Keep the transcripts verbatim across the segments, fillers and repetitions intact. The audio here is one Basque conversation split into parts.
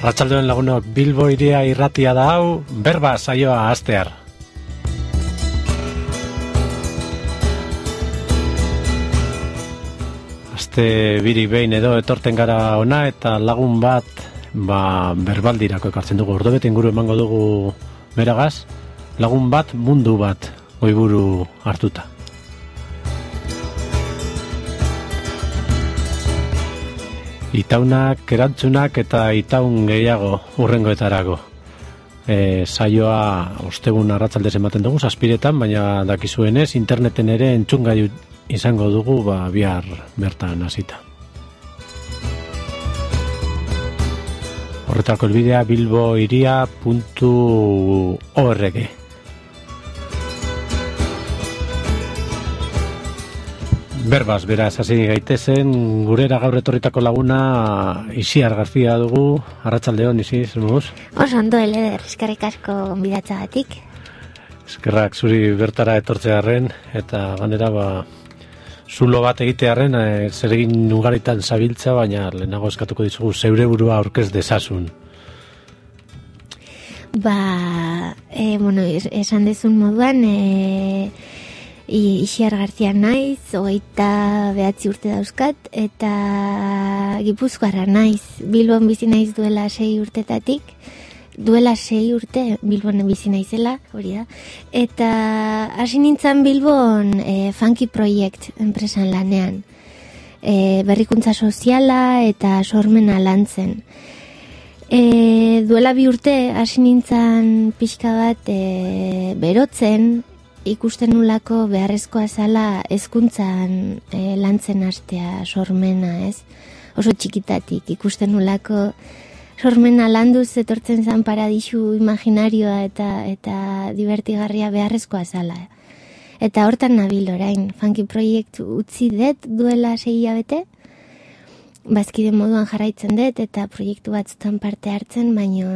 Arratsaldeon lagunok, Bilbo iria irratia da hau, berba saioa hastear. Aste biri behin edo etorten gara ona eta lagun bat ba, berbaldirako ekartzen dugu. Ordobete inguru emango dugu beragaz, lagun bat mundu bat goiburu hartuta. Itaunak, erantzunak eta itaun gehiago urrengoetarago. E, saioa ostegun arratsaldez ematen dugu, zazpiretan, baina dakizuenez, interneten ere entzungai izango dugu ba, bihar bertan hasita. Horretako elbidea bilboiria puntu org. Berbaz, beraz, hasi gaitezen, gurera gaur etorritako laguna Isiar García dugu. Arratsaldeon, Isi, zer moduz? Oso ondo, Eleder, eskerrik asko gonbidatzagatik. Eskerrak zuri bertara etortzearren, eta ganera, ba, zulo bat egitearren, e, zer egin ugaritan zabiltza, baina lehenago eskatuko dizugu zeure burua aurkez dezasun. Ba, e, bueno, esan dezun moduan, e, Isiar García naiz, hogeita behatzi urte dauzkat, eta Gipuzkoarra naiz, Bilbon bizi naiz duela sei urtetatik, duela sei urte Bilbon bizi naizela, hori da, eta hasi nintzen Bilbon e, Funky Project enpresan lanean, e, berrikuntza soziala eta sormena lantzen. E, duela bi urte hasi nintzen pixka bat e, berotzen, ikusten nulako beharrezkoa zala hezkuntzan e, lantzen hastea sormena, ez? Oso txikitatik ikusten nulako sormena landuz etortzen zan paradisu imaginarioa eta eta divertigarria beharrezkoa zala. Eta hortan nabil orain, Funky Project utzi dut duela sei hilabete, bazkide moduan jarraitzen dut eta proiektu batzutan parte hartzen, baino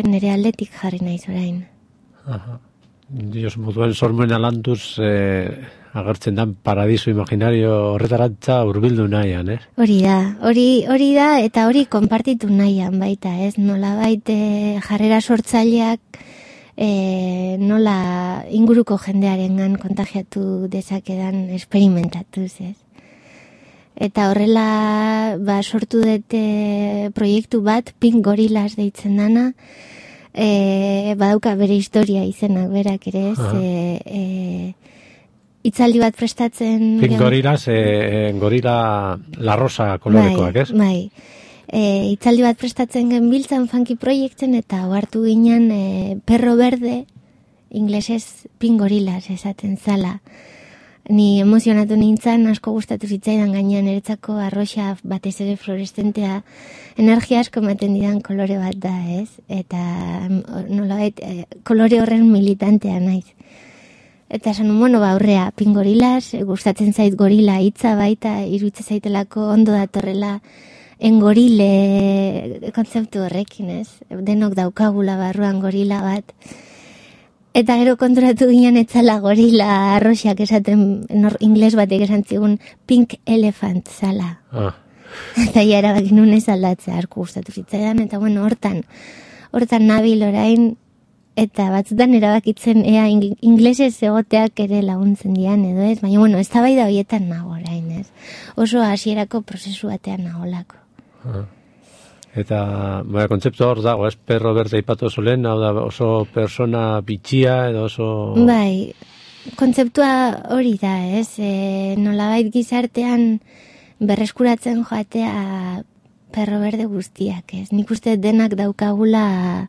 nire aldetik jarri naiz orain. Aha. Dios, moduen sormena landuz eh, agertzen dan paradiso imaginario horretarantza hurbildu nahian, eh? Hori da, hori, hori da, eta hori konpartitu nahian baita, ez? Nola baita jarrera sortzaileak eh, nola inguruko jendearengan kontagiatu dezakedan esperimentatuz, ez? Eta horrela ba, sortu dute proiektu bat, Pink Gorillas deitzen dana, E, badauka bere historia izenak berak ere ez, e, e, itzaldi bat prestatzen... Pink Gorillas, e, e, gorila la rosa kolorekoak, ez? Bai, e, itzaldi bat prestatzen genbiltzan Funky Projecten eta ohartu ginen e, perro berde, inglesez Pink Gorillas esaten zala. Ni emozionatu nintzen, asko gustatu zitzaidan gainean eretzako arroxa batez ere fluoreszentea energia asko ematen didan kolore bat da, ez? Eta nolabait eh, kolore horren militantea naiz. Eta esan bueno, ba aurrea, Pink Gorillas, gustatzen zait gorila hitza baita, iruditzen zaitelako ondo datorrela engorile kontzeptu horrekin, ez? Denok daukagula barruan gorila bat. Eta gero konturatu ginen etzala gorila arroxak esaten, nor, ingles batek esan zigun Pink Elephant zala. Ah. Eta ja erabakin nunez aldatzea arku gustatu zitzaidan, eta bueno, hortan, hortan nabil orain, eta batzutan erabakitzen ea inglesez egoteak ere laguntzen dian edo ez, baina bueno, ez da bai da horietan nago orain, ez? Oso hasierako prozesu batean nagolako. Ah. Eta, baina, kontzeptu hor dago, ez, perro berde ipatu oso lehen, hau da oso persona bitxia edo oso... Bai, kontzeptua hori da, ez, e, nolabait gizartean berreskuratzen joatea perro berde guztiak, ez. Nik uste denak daukagula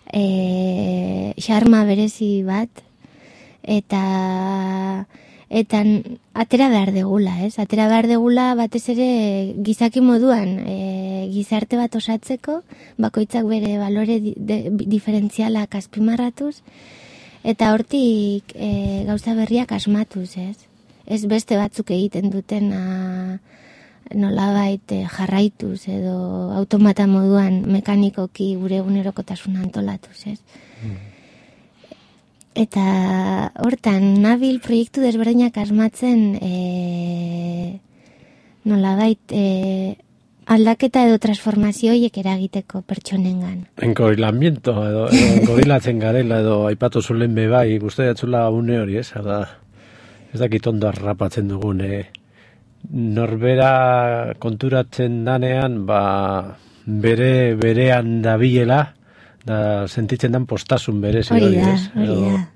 e, xarma berezi bat, eta... Eta atera behar degula, ez? Atera behar degula batez ere gizaki moduan e, gizarte bat osatzeko, bakoitzak bere balore di, de, diferentzialak azpimarratuz, eta hortik e, gauza berriak asmatuz, ez? Ez beste batzuk egiten duten a, nolabait e, jarraituz edo automata moduan mekanikoki gure egunerokotasuna antolatuz, ez? Mm. Eta hortan nabil proiektu desberdinak asmatzen e, nolabait e, aldaketa edo transformazio horiek eragiteko pertsonengan. Engorilamiento edo, edo gorilatzen garela edo aipatu zulen bebai, guzti datzula une hori, ez? Hada, ez dakit ondo harrapatzen dugun, eh? Norbera konturatzen danean, ba, bere, berean dabilela, da sentitzen dan postasun bere zer hori, ez? Hori da, hori da.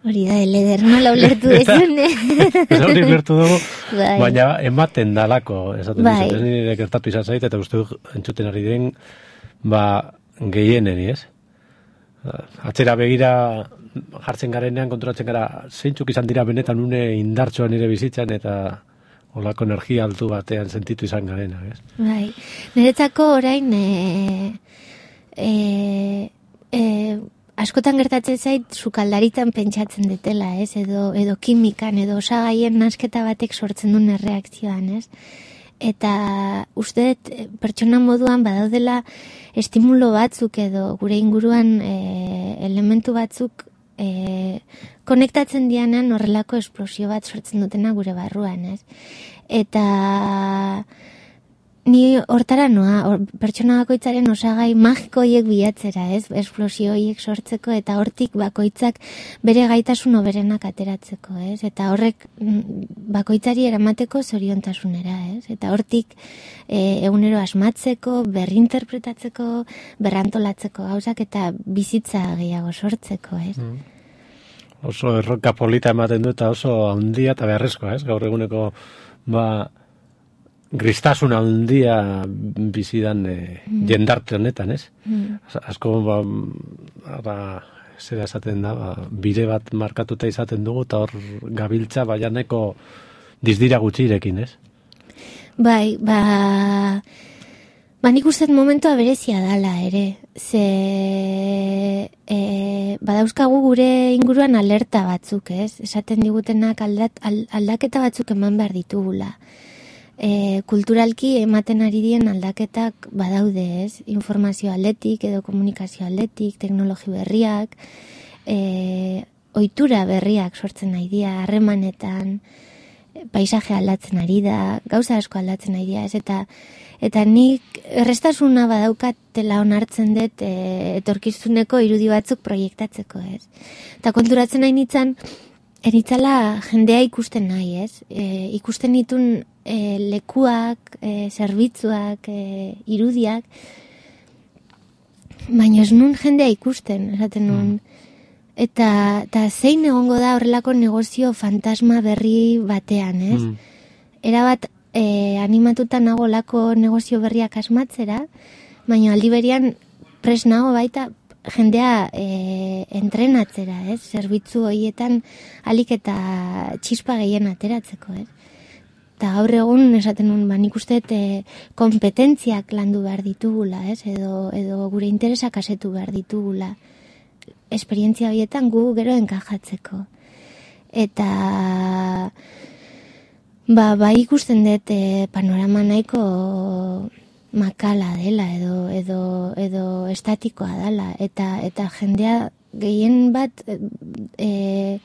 Hori da, eleder, nola ulertu dezun, Ez hori ulertu dugu, bai. Baina ematen dalako, esaten bai. dizut, ez nire gertatu izan zait, eta uste dut entzuten ari den, ba, gehieneni, ez? Atzera begira jartzen garenean, konturatzen gara, zeintzuk izan dira benetan une indartsoa nire bizitzan, eta olako energia altu batean sentitu izan garena, ez? Bai, niretzako orain, e, e, e, askotan gertatzen zait sukaldaritan pentsatzen detela, ez? Edo, edo kimikan, edo osagaien nasketa batek sortzen duen erreakzioan, ez? Eta uste dut pertsona moduan badaudela estimulo batzuk edo gure inguruan e, elementu batzuk e, konektatzen dianean horrelako esplosio bat sortzen dutena gure barruan, ez? Eta ni hortara noa, or, pertsona bakoitzaren osagai magiko horiek bilatzera, ez? Esplosio horiek sortzeko eta hortik bakoitzak bere gaitasun hoberenak ateratzeko, ez? Eta horrek bakoitzari eramateko zoriontasunera, ez? Eta hortik e, egunero asmatzeko, berrinterpretatzeko, berrantolatzeko gauzak eta bizitza gehiago sortzeko, ez? Mm. Oso erronka polita ematen du eta oso handia eta beharrezkoa, ez? Gaur eguneko, ba, gristasun handia bizidan e, mm. jendarte honetan, ez? Mm. Asko, ba, ba, zera esaten da, ba, bide bat markatuta izaten dugu, eta hor gabiltza baianeko dizdira gutxirekin, ez? Bai, ba, ba nik uste momentua berezia dala, ere. Ze, e, badauzkagu gure inguruan alerta batzuk, ez? Esaten digutenak aldat, aldaketa batzuk eman behar ditugula. E, kulturalki ematen ari dien aldaketak badaude, ez? Informazio aldetik edo komunikazio aldetik, teknologi berriak, e, ohitura berriak sortzen nahi dira, harremanetan, paisaje aldatzen ari da, gauza asko aldatzen ari dira, ez? Eta, eta nik errestasuna badaukatela onartzen dut e, etorkizuneko irudi batzuk proiektatzeko, ez? Eta konturatzen nahi nintzen, eritzala jendea ikusten nahi, ez? E, ikusten ditun e, lekuak, e, zerbitzuak, e, irudiak, baina ez nun jendea ikusten, esaten nun. Eta, eta zein egongo da horrelako negozio fantasma berri batean, ez? Mm. Erabat e, animatuta nago lako negozio berriak asmatzera, baina aldi berian pres nago baita jendea e, entrenatzera, ez? Zerbitzu horietan alik eta txispa gehien ateratzeko, ez? Eta gaur egun esaten nun, ba, nik uste e, kompetentziak landu behar ditugula, ez? Edo, edo gure interesak asetu behar ditugula. Esperientzia horietan gu gero enkajatzeko. Eta ba, ba ikusten dut e, panorama nahiko makala dela edo edo edo estatikoa dela eta eta jendea gehien bat e,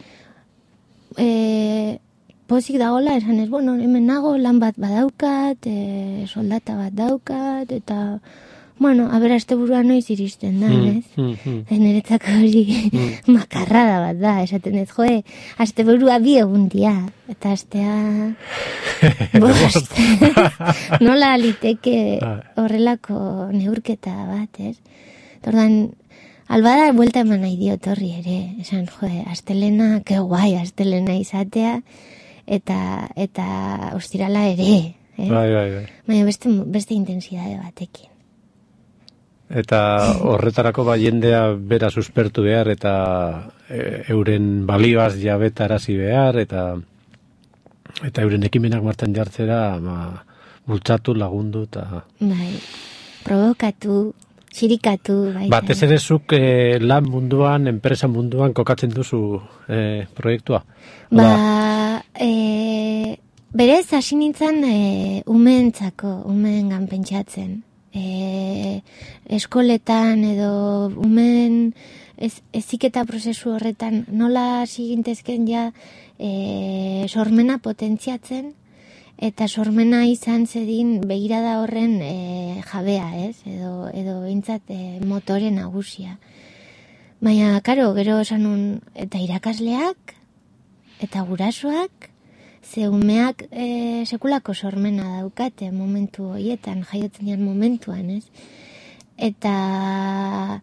e, pozik dagoela esan ez, bueno, hemen nago lan bat badaukat, e, soldata bat daukat eta bueno, a ber, aste burua noiz iristen da, mm, ez? Mm, mm. Neretzak hori mm. makarrada bat da, esaten ez, joe, aste burua bi egun dia, eta astea bost. Nola liteke horrelako neurketa bat, ez? Tordan, albada buelta eman nahi diot horri ere, esan, joe, astelena, ke guai, astelena izatea, eta, eta ostirala ere, eh? Bai, bai, bai. Baina beste, beste intensidade batekin. Eta horretarako ba jendea bera suspertu behar eta e, euren balioaz jabetarazi behar eta eta euren ekimenak martxan jartzera ba, bultzatu, lagundu eta bai, provokatu, txirikatu bai. Batez ere zuk e, lan munduan, enpresa munduan kokatzen duzu e, proiektua? Ba, e, berez hasi nintzen e, umeentzako, umeengan pentsatzen. E, eskoletan edo umen ez, eziketa prozesu horretan nola hasi gintezken ja e, sormena potentziatzen eta sormena izan zedin begirada horren e, jabea, ez? Edo, edo bintzat e, motore nagusia. Baina, karo, gero esan un, eta irakasleak, eta gurasoak, ze umeak e, sekulako sormena daukate momentu horietan, jaiotzen dian momentuan, ez? Eta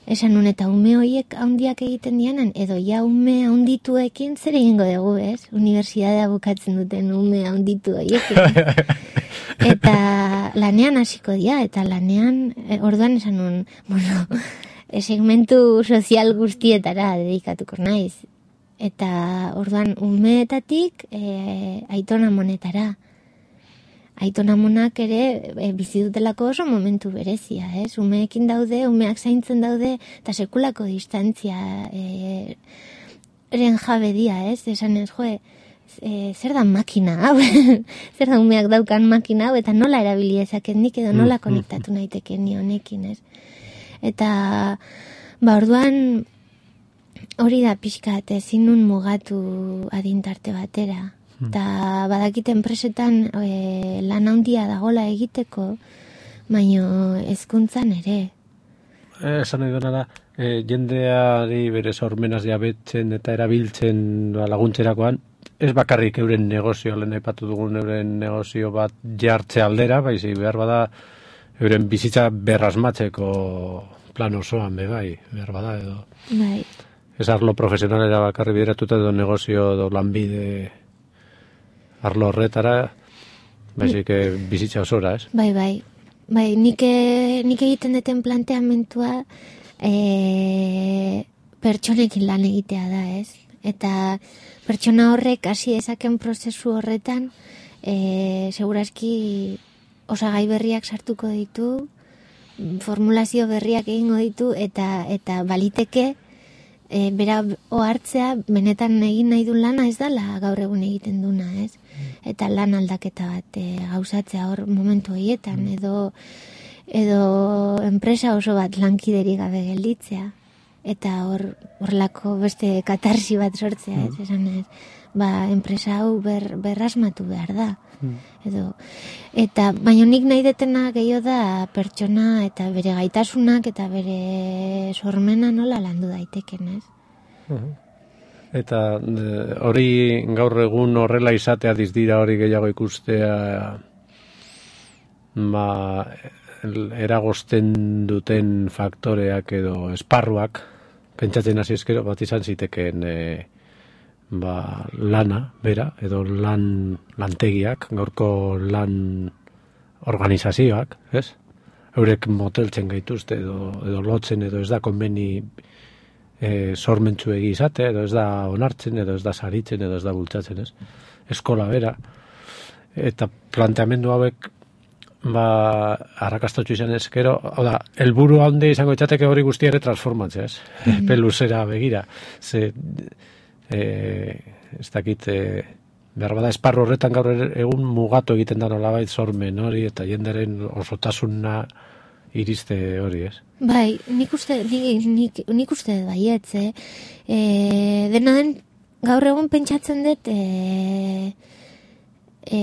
esan nun, eta ume horiek handiak egiten dianan, edo ja ume handituekin zer egingo dugu, ez? Unibertsitatea bukatzen duten ume handitu horiekin. Eta lanean hasiko dira, eta lanean, e, orduan esan nun, bueno, segmentu sozial guztietara dedikatuko naiz. Eta orduan umeetatik e, aitona monetara. Aitona monak ere e, bizi dutelako oso momentu berezia, ez? Umeekin daude, umeak zaintzen daude, eta sekulako distantzia e, eren jabe dia, ez? Esan ez, joe, e, zer da makina hau? Zer da umeak daukan makina hau? Eta nola erabili ezaken nik edo nola konektatu naiteken ni honekin, ez? Eta, ba, orduan, hori da pixkat, ezin nun mugatu adintarte batera. Eta badakite enpresetan e, lan handia dagola egiteko, baino hezkuntzan ere. Esan nahi dena da, e, jendeari bere sormenaz jabetzen eta erabiltzen ba, laguntzerakoan, ez bakarrik euren negozio, lehen aipatu dugun euren negozio bat jartze aldera, baizik behar bada euren bizitza berrasmatzeko plan osoan, be bai, behar bada edo. Bai. Ez arlo profesionalera bakarri bideratuta edo negozio edo lanbide arlo horretara, baizik bizitza osora, ez? Bai, bai. Bai, nik, nik egiten deten planteamentua e, pertsonekin lan egitea da, ez? Eta pertsona horrek hasi dezaken prozesu horretan e, seguraski osagai berriak sartuko ditu, formulazio berriak egingo ditu, eta eta baliteke e, bera ohartzea benetan egin nahi du lana ez dala gaur egun egiten duna, ez? Eta lan aldaketa bat e, gauzatzea hor momentu horietan, edo edo enpresa oso bat lankideri gabe gelditzea, eta hor horlako beste katarsi bat sortzea, ez? Esan ez, ba, enpresa hau ber, berrasmatu behar da. Edo, eta baina nik nahi detena gehiago da pertsona eta bere gaitasunak eta bere sormena nola landu daiteken, ez? Uh-huh. Eta hori gaur egun horrela izatea dizdira hori gehiago ikustea ba, eragozten duten faktoreak edo esparruak, pentsatzen hasi ezkero bat izan ziteken e, ba, lana, bera, edo lan lantegiak, gaurko lan organizazioak, ez? Eurek moteltzen gaituzte edo, edo lotzen edo ez da konbeni e, sormentzuegi izate, edo ez da onartzen, edo ez da saritzen, edo ez da bultzatzen, ez? Eskola bera. Eta planteamendu hauek ba, arrakastatxu izan ezkero, hau da, helburu handi izango itzateke hori guzti ere transformatzea, ez? Mm-hmm. Peluzera begira. Ze, e, ez dakit, e, behar bada esparru horretan gaur egun mugatu egiten da nolabait sormen hori, eta jenderen osotasuna iriste hori, ez? Bai, nik uste, nik, nik, nik uste baietz, eh? E, dena den, gaur egun pentsatzen dut, e, e,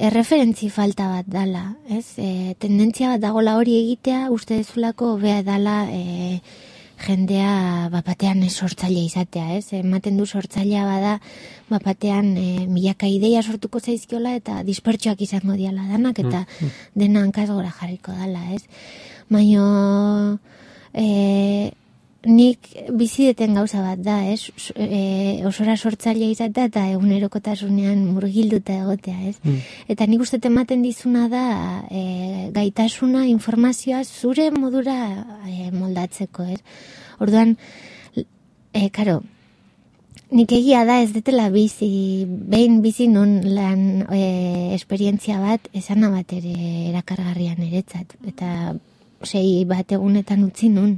erreferentzi falta bat dala, ez? E, tendentzia bat dagola hori egitea, uste dezulako bea dala e, jendea bapatean sortzailea izatea, ez? Ematen du sortzailea bada bapatean e, milaka ideia sortuko zaizkiola eta dispertsuak izango diala danak eta mm. dena hankaz gora jarriko dala, ez? Baina e, nik bizideten gauza bat da, ez? E, osora sortzailea izatea eta egunerokotasunean murgilduta egotea, ez? Mm. Eta nik uste ematen dizuna da e, gaitasuna, informazioa zure modura e, moldatzeko, ez? Orduan, e, karo, nik egia da ez detela bizi, behin bizi nun lan e, esperientzia bat, esana bat ere erakargarrian eretzat, eta sei bat egunetan utzi nun.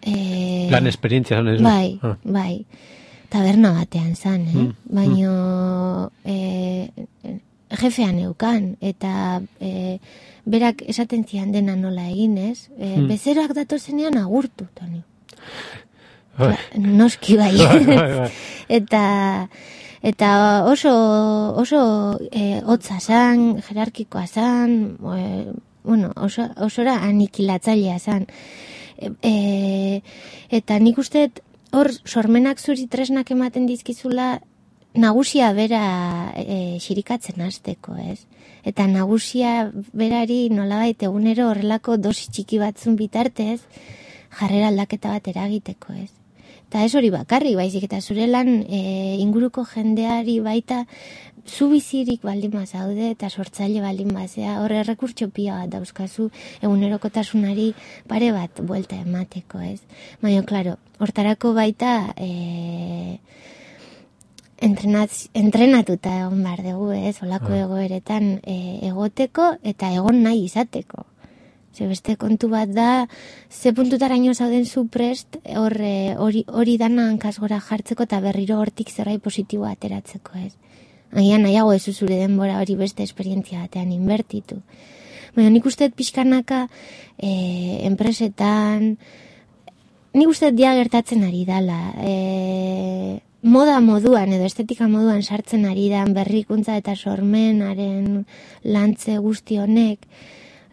E, lan esperientzia zan ez? Bai, ah. bai. Taberna batean zan, eh? Mm, baino mm. e, jefean eukan, eta e, berak esaten zian dena nola egin, ez? E, mm. Bezeroak datozenean agurtu, Toni. Bai. Noski bai. Bai, bai, bai. Eta Eta oso, oso e, hotza zan, jerarkikoa zan, e, bueno, oso, osora anikilatzailea zan. E, e, eta nik uste hor sormenak zuri tresnak ematen dizkizula nagusia bera e, xirikatzen hasteko, ez? Eta nagusia berari nolabait egunero horrelako dosi txiki batzun bitartez jarrera aldaketa bat eragiteko, ez? Eta ez hori bakarrik, baizik eta zure lan e, inguruko jendeari baita zu bizirik baldin bazaude eta sortzaile baldin bazea, horre errekurtso pila bat dauzkazu egunerokotasunari pare bat buelta emateko, ez? Baina, klaro, hortarako baita e, entrenaz, entrenatuta egon behar dugu, ez? Olako ah. egoeretan e, egoteko eta egon nahi izateko. Ze beste kontu bat da, ze puntutaraino zauden zu prest, hori, hori dana hankasgora jartzeko eta berriro hortik zerbait positiboa ateratzeko, ez? Agian nahiago ez zure denbora hori beste esperientzia batean inbertitu. Baina nik uste pixkanaka e, enpresetan, nik uste dia gertatzen ari dala, e, moda moduan edo estetika moduan sartzen ari dan berrikuntza eta sormenaren lantze guzti honek,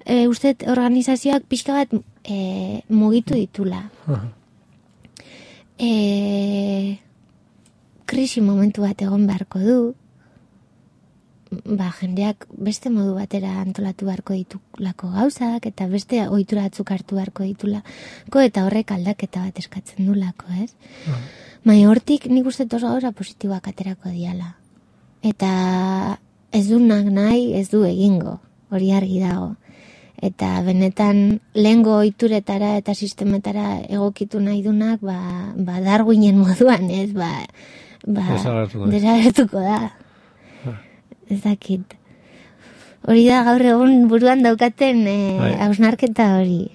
E, uste organizazioak pixka bat e, mugitu ditula. Uh-huh. E, krisi momentu bat egon beharko du, ba, jendeak beste modu batera antolatu beharko ditulako gauzak, eta beste ohitura batzuk hartu beharko ditulako, eta horrek aldaketa bat eskatzen dulako, ez? Uh-huh. Baina hortik nik uste oso gauza positiboak aterako diala. Eta ez du nahi, ez du egingo, hori argi dago. Eta benetan lehengo ohituretara eta sistemetara egokitu nahi dunak, ba, ba Darwinen moduan, ez, ba, ba desagertuko da. Ah. Ez dakit. Hori da gaur egun buruan daukaten eh, hausnarketa hori.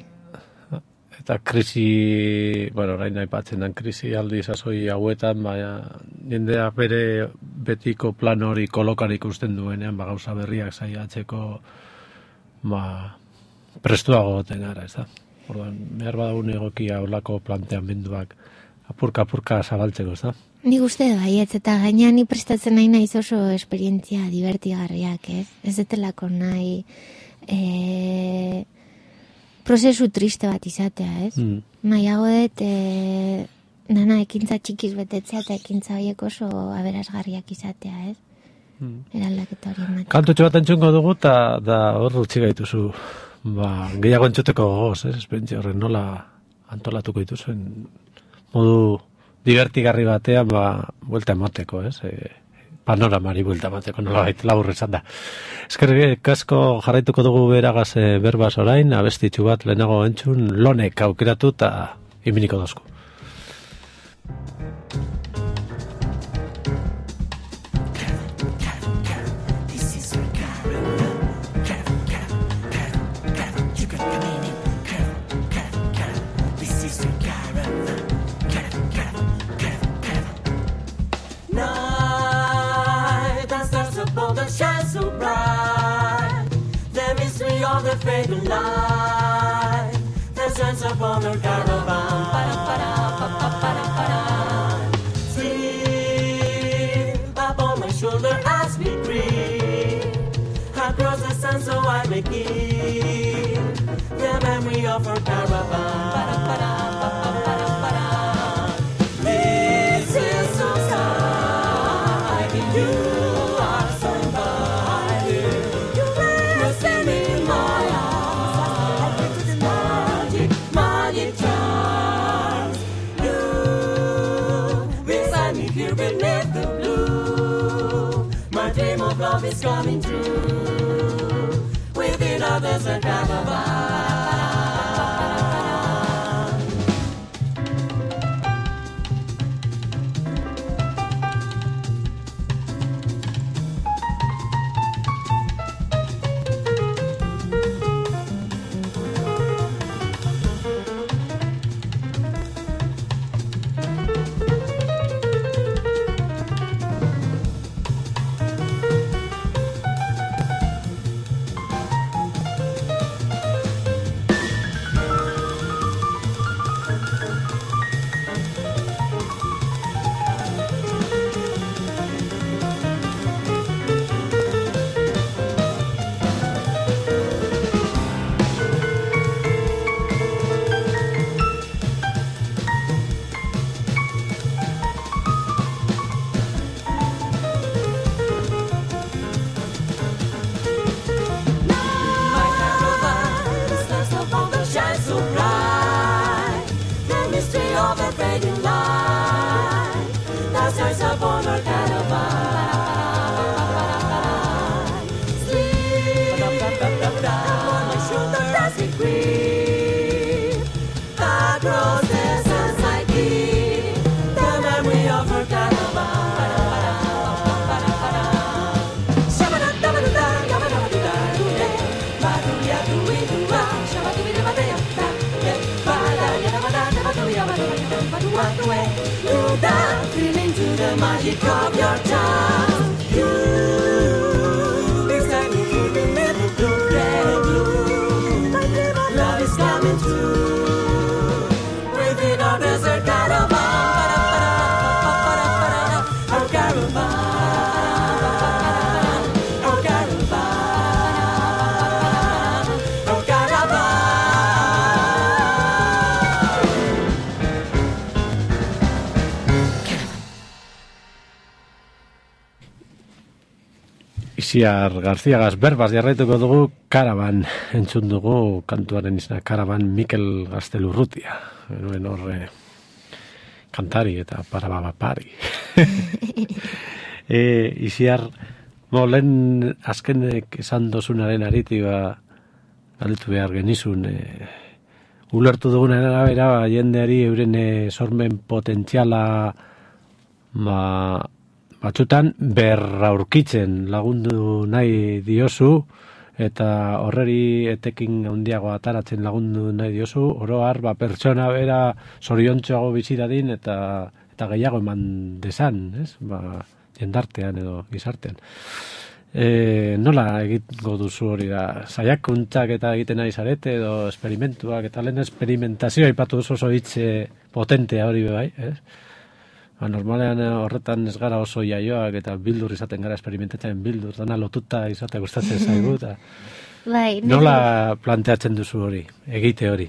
Eta krisi, bueno, orain aipatzen den krisi aldi sasoi hauetan, baina jendea bere betiko plan hori kolokan ikusten duenean, ba gauza berriak saiatzeko, ba prestuago goten gara, ez da. Orduan, behar badagun egokia olako planteamenduak apurka-apurka zabaltzeko, ez da. Nik uste baietz, eta gainean ni prestatzen nahi naiz oso esperientzia divertigarriak, ez? Ez detelako nahi e, prozesu triste bat izatea, ez? Mm. Nahiago dut, e, nana ekintza txikiz betetzea eta ekintza horiek oso aberasgarriak izatea, ez? Mm. Eraldaketa hori ematen. Kantutxo bat entzungo dugu, eta da hor utzi gaituzu. Ba, gehiago entzuteko gogoz, ez? Esperientzia horren nola antolatuko dituzuen modu divertigarri batean, ba, buelta emateko, ez? E, panoramari buelta emateko, nola baita labur esan da. Eskerrik asko jarraituko dugu beragaz e, berbaz orain, abestitxu bat lehenago entzun, lonek aukeratu eta iminiko dozku. The fading light that shines upon the caravan. Sleep upon my shoulder as we creep across the sun, so I may keep the memory of our caravan. This is so sad, you. Love is coming true within others a caravan. your child. You, inside me, you can never do that. You, love is coming true. Within our desert caravan, our caravan, our caravan, our caravan. Isiar Garziagaz berbaz jarraituko dugu Karaban, entzun dugu kantuaren izena Karaban Mikel Gaztelurrutia. Benuen horre kantari eta parababapari. e, Isiar, bo, lehen azkenek esan dozunaren ariti ba, galdetu behar genizun, e, ulertu dugunaren arabera, ba, jendeari euren e, sormen potentziala ba, batzutan berraurkitzen lagundu nahi diozu eta horreri etekin handiago ataratzen lagundu nahi diozu, oro har ba, pertsona bera zoriontsuago bizi dadin eta eta gehiago eman desan, ez? Ba, jendartean edo gizartean. E, nola egingo duzu hori da? Saiakuntzak eta egiten nahi zarete edo esperimentuak eta lehen esperimentazioa aipatu duzu oso hitze potentea hori bai, ez? Ba, normalean horretan ez gara oso jaioak eta bildur izaten gara esperimentatzen bildur, dana lotuta izatea gustatzen zaigu. Eta Bai, nola planteatzen duzu hori, egite hori?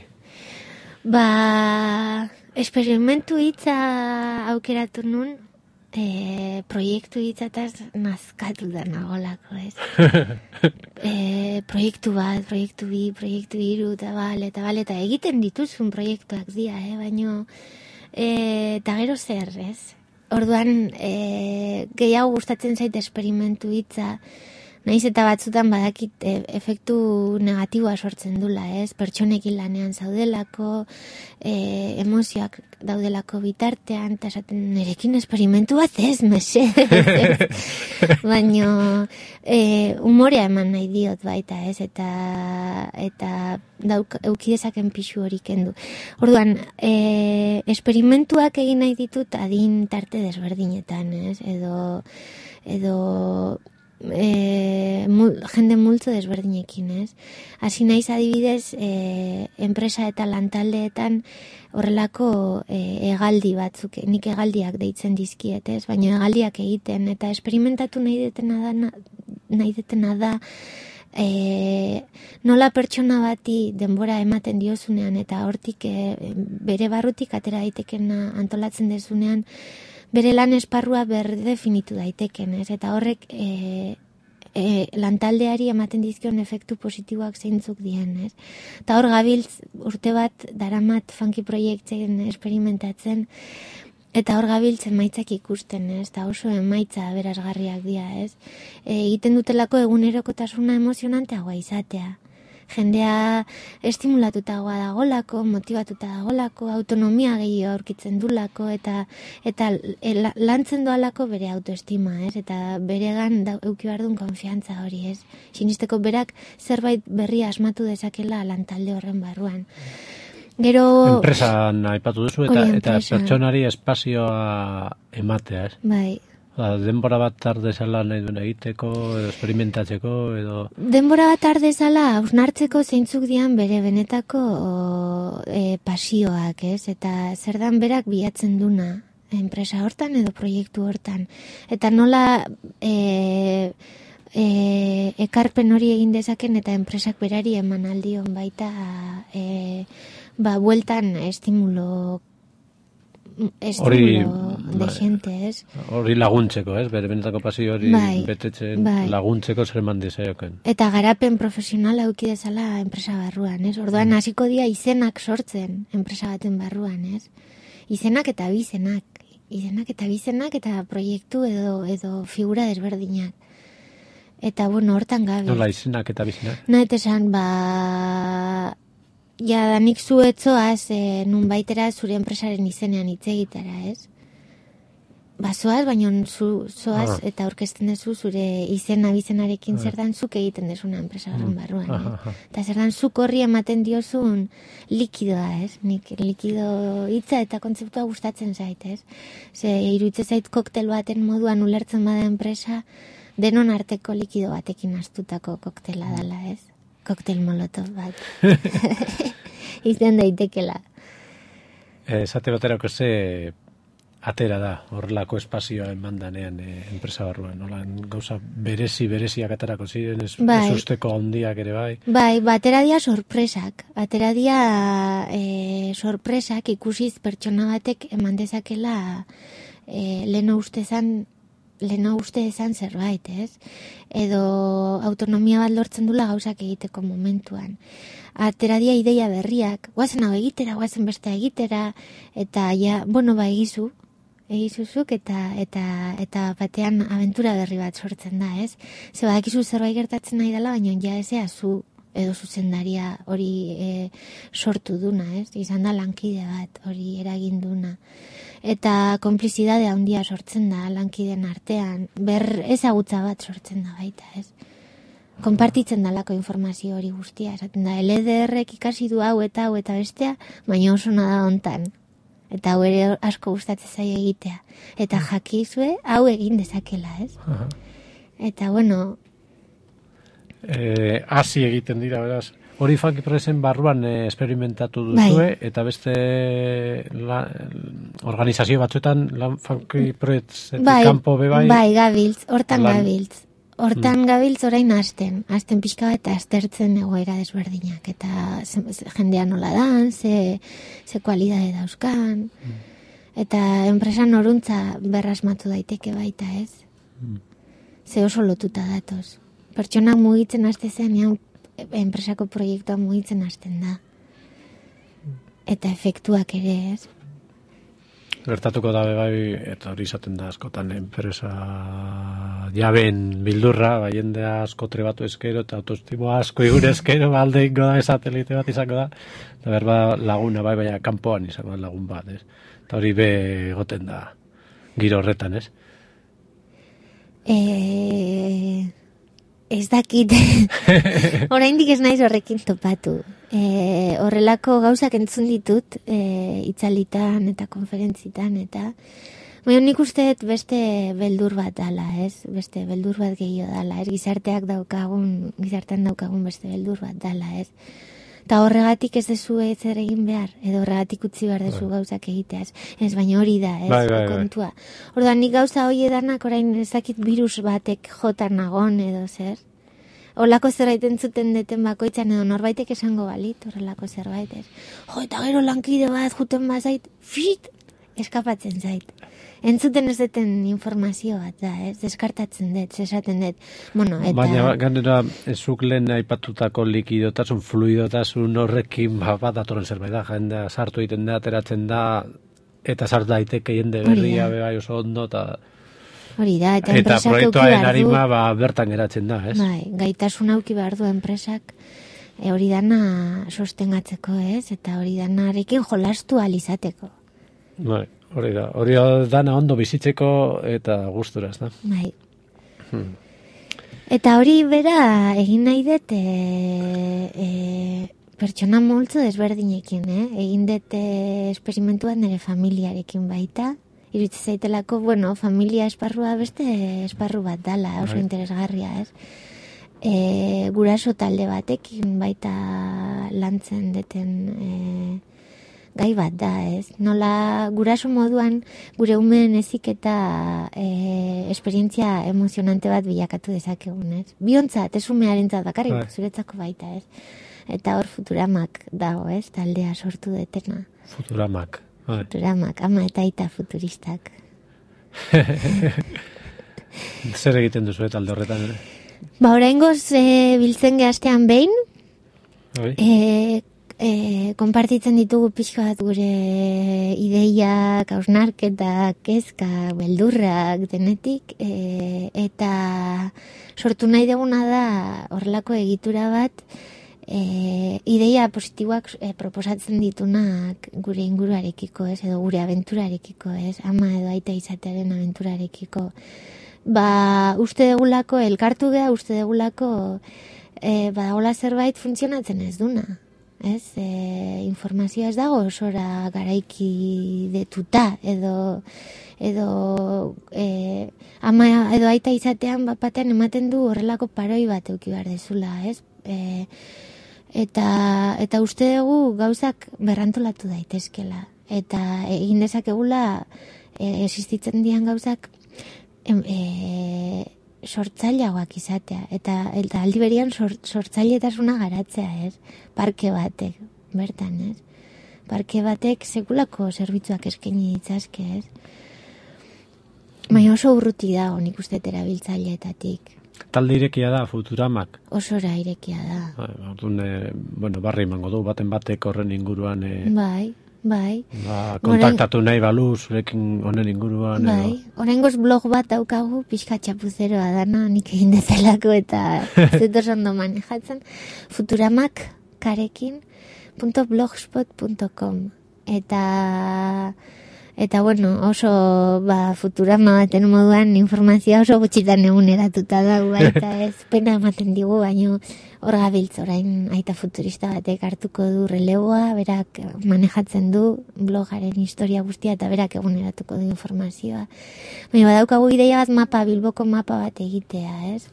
Ba, esperimentu hitza aukeratu nun, e, proiektu hitzataz nazkatu da nagolako, ez? e, proiektu bat, proiektu bi, proiektu hiru, eta bale, eta bale, eta egiten dituzun proiektuak dira, eh? Baino, e, eta gero zer, ez? Orduan, e, gehiago gustatzen zait esperimentu hitza, naiz eta batzutan badakit e, efektu negatiboa sortzen dula, ez? Pertsonekin lanean zaudelako, e, emozioak daudelako bitartean, eta esaten nerekin esperimentu bat ez, mesedez, ez? Baino, e, umorea eman nahi diot baita, ez? Eta, eta dauk, eukidezaken pixu hori kendu. Orduan, e, esperimentuak egin nahi ditut adin tarte desberdinetan, ez? Edo, edo, E, mul, jende multzo desberdinekin, ez? Hasi naiz adibidez, e, enpresa eta lantaldeetan horrelako e, hegaldi batzuk, nik hegaldiak deitzen dizkiet, ez? Baina hegaldiak egiten eta esperimentatu nahi detena da, nahi detena da e, nola pertsona bati denbora ematen diozunean eta hortik e, bere barrutik atera daitekena antolatzen dezunean, bere lan esparrua berdefinitu daiteken, ez? Eta horrek e, e, lantaldeari ematen dizkion efektu positiboak zeintzuk dien, ez? Eta hor gabiltz urte bat daramat funky proiektzen esperimentatzen, eta hor gabiltz emaitzak ikusten, ez? Eta oso emaitza aberasgarriak dira, ez? E, egiten dutelako egunerokotasuna emozionanteagoa izatea. Jendea estimulatutagoa dagolako, motivatuta dagolako, autonomia gehiago aurkitzen dulako, eta eta lantzen doalako bere autoestima, ez? Eta beregan da, euki behar duen konfiantza hori, ez? Sinisteko berak zerbait berria asmatu dezakela lantalde horren barruan. Gero... Enpresan aipatu duzu eta, eta pertsonari espazioa ematea, ez? Bai. Denbora bat tardezala nahi duen egiteko, edo esperimentatzeko, edo... Denbora bat tardezala hausnartzeko zeintzuk dian bere benetako o, e, pasioak, ez? Eta zer dan berak bilatzen duna enpresa hortan edo proiektu hortan. Eta nola e, e, ekarpen hori egin dezaken eta enpresak berari eman aldion baita e, ba, bueltan estimulo estimulo de gente, ez? Hori laguntzeko, ez? Bere benetako pasio hori bai, betetzen bai. Laguntzeko zer eman dizaioken. Eta garapen profesionala eduki dezala enpresa barruan, ez? Orduan hasiko dira izenak sortzen enpresa baten barruan, ez? Izenak eta bizenak. Izenak eta bizenak eta proiektu edo edo figura desberdinak. Eta, bueno, hortan gabe. Nola izenak eta bizenak? Nahet esan, ba... Ja, danik zuetzoaz, e, nun baitera zure enpresaren izenean hitz egitara, ez? bazoaz, baina zu zoaz Ah. eta aurkezten duzu zure izen abizenarekin zer dan zuk egiten dezuna enpresa horren barruan. Aha, Eh? aha. Eta zer dan zuk horri ematen diozun likidoa, ez? Nik likido hitza eta kontzeptua gustatzen zait, ez? Ze iruditzen zait koktel baten moduan ulertzen bada enpresa, denon arteko likido batekin astutako koktela dela, ez? Koktel molotov bat. Izan daitekela. Eh, Esate baterako ze atera da, horrelako espazioa eman danean e, enpresa barruan, nola, gauza berezi, bereziak aterako ziren, ez, Bai. ez usteko handiak ere bai. Bai, batera dia sorpresak. Atera dia e, sorpresak ikusiz pertsona batek eman dezakela e, leno ustezan leno uste ezan zerbait, ez? Edo autonomia bat lortzen dula gauzak egiteko momentuan. Atera dia ideia berriak, guazen hau egitera, guazen beste egitera, eta ja, bueno, ba, egizu, egizuzuk, eta, eta, eta batean abentura berri bat sortzen da, ez? Ze badakizu zerbait gertatzen nahi dela, baina ja ezea zu edo zuzendaria hori e, sortu duna, ez? Izan da lankide bat, hori eragin duna. Eta konplizidade handia sortzen da lankideen artean, ber ezagutza bat sortzen da baita, ez? Konpartitzen dalako informazio hori guztia, esaten da, L D R-ek ikasi du hau eta hau eta bestea, baina oso nada hontan. Eta hau ere asko gustatzen zaio egitea. Eta jakizue hau egin dezakela, ez? Aha. Eta bueno, Eh, hasi egiten dira, beraz. Hori Funky Presen barruan eh, esperimentatu duzue, Bai. eta beste la, organizazio batzuetan lan Funky Presen bai, kanpo be bai. bai, gabiltz, hortan Lan- gabiltz. Hortan gabiltz orain hasten, hasten pixka bat eta aztertzen egoera desberdinak, eta ze, ze, jendea nola dan, ze, ze kualidade dauzkan, eta enpresan horuntza berrasmatu daiteke baita, ez? Ze oso lotuta datoz. Pertsonak mugitzen haste zenean, enpresako proiektua mugitzen hasten da. Eta efektuak ere, ez? Gertatuko da be bai, eta hori izaten da askotan enpresa jaben bildurra, bai jendea asko trebatu eskero, eta autoestimo asko igure eskero, alde ingo da, satelite bat izango da, eta berba laguna bai, baina kanpoan izango da lagun bat, ez? Eta hori be egoten da, giro horretan, ez? Eh, ez dakit, oraindik ez naiz horrekin topatu. E, horrelako gauzak entzun ditut, e, itzalitan eta konferentzitan, eta baina nik uste dut beste beldur bat dala, ez? Beste beldur bat gehiago dala, ez? Gizarteak daukagun, gizartean daukagun beste beldur bat dala, ez? Eta horregatik ez dezu zer egin behar, edo horregatik utzi behar dezu gauzak egiteaz. Ez, baina hori da, ez, Bai, bai, bai. kontua. Orduan nik gauza hori edanak orain ezakit virus batek jotan nagon edo zer. Olako zerbait entzuten deten bakoitzan edo norbaitek esango balit, horrelako zerbait, ez. Jo, eta gero lankide bat juten bazait, fit, eskapatzen zait. Entzuten ez deten informazio bat da, ez, deskartatzen dut, esaten dut. Bueno, eta... Baina ganera, zuk lehen aipatutako likidotasun, fluidotasun horrekin ba, bat datorren zerbait da, jendea sartu egiten da, ateratzen da, eta sart daiteke jende Hori berria da. be bai oso ondo, eta, Hori da, eta, eta enpresak eduki proiektuaren behar du. arima ba, bertan geratzen da, ez? Bai, gaitasun auki behar du enpresak e, hori dana sostengatzeko, ez? Eta hori danarekin jolastu alizateko. Bai, hori da, hori dana ondo bizitzeko eta gustura, ez da? Bai. Eta hori bera egin nahi dut e, e, pertsona multzo desberdinekin, eh? Egin dut e, esperimentuan nire familiarekin baita. Iruditzen zaitelako, bueno, familia esparrua beste esparru bat dala, oso Bai. interesgarria, ez? E, guraso talde batekin baita lantzen deten e, gai bat da, ez? Nola guraso moduan gure umeen heziketa e, esperientzia emozionante bat bilakatu dezakegun, ez? Biontzat, ez umearentzat bakarrik, Bai. zuretzako baita, ez? Eta hor Futuramak dago, ez? Taldea sortu detena. Futuramak. Bai. Futuramak, ama eta aita futuristak. Zer egiten duzu eta alde horretan, ere? Ba, oraingoz e, biltzen gehastean behin, Bai? e, e, konpartitzen ditugu pixka bat gure ideiak, hausnarketak, kezka, beldurrak, denetik, e, eta sortu nahi duguna da horrelako egitura bat, e, ideia positiboak e, proposatzen ditunak gure inguruarekiko, ez, edo gure aventurarekiko, ez, ama edo aita izatearen aventurarekiko. Ba, uste degulako, elkartu geha, uste degulako, e, badagola zerbait funtzionatzen ez duna. Ez, e, informazioa ez dago osora garaiki detuta, edo, edo e, ama edo aita izatean bat batean ematen du horrelako paroi bat euki behar dezula, ez? E, eta, eta uste dugu gauzak berrantolatu daitezkela. Eta egin dezakegula e, existitzen dian gauzak em, e, sortzaileagoak izatea, eta, eta aldi berian sort, sortzailetasuna garatzea, ez? Parke batek, bertan, ez? Parke batek sekulako zerbitzuak eskaini ditzazke, ez? Baina oso urruti dago nik uste erabiltzaileetatik. Talde irekia da, Futuramak. Osora irekia da. Orduan, e, bueno, barri emango du, baten batek horren inguruan... E... Bai. Bai. Ba, kontaktatu nahi balu zurekin honen inguruan. Bai, oraingoz blog bat daukagu, pixka txapuzeroa dana, nik egin dezalako eta zetos ondo manejatzen, futuramak karekin punto blogspot punto com. Eta, eta bueno, oso ba, Futurama baten moduan informazioa oso gutxitan eguneratuta dago, eta ez pena ematen digu, baino hor gabiltz orain aita futurista batek hartuko du releboa, berak manejatzen du blogaren historia guztia eta berak eguneratuko du informazioa. Baina badaukagu ideia bat mapa, Bilboko mapa bat egitea, ez?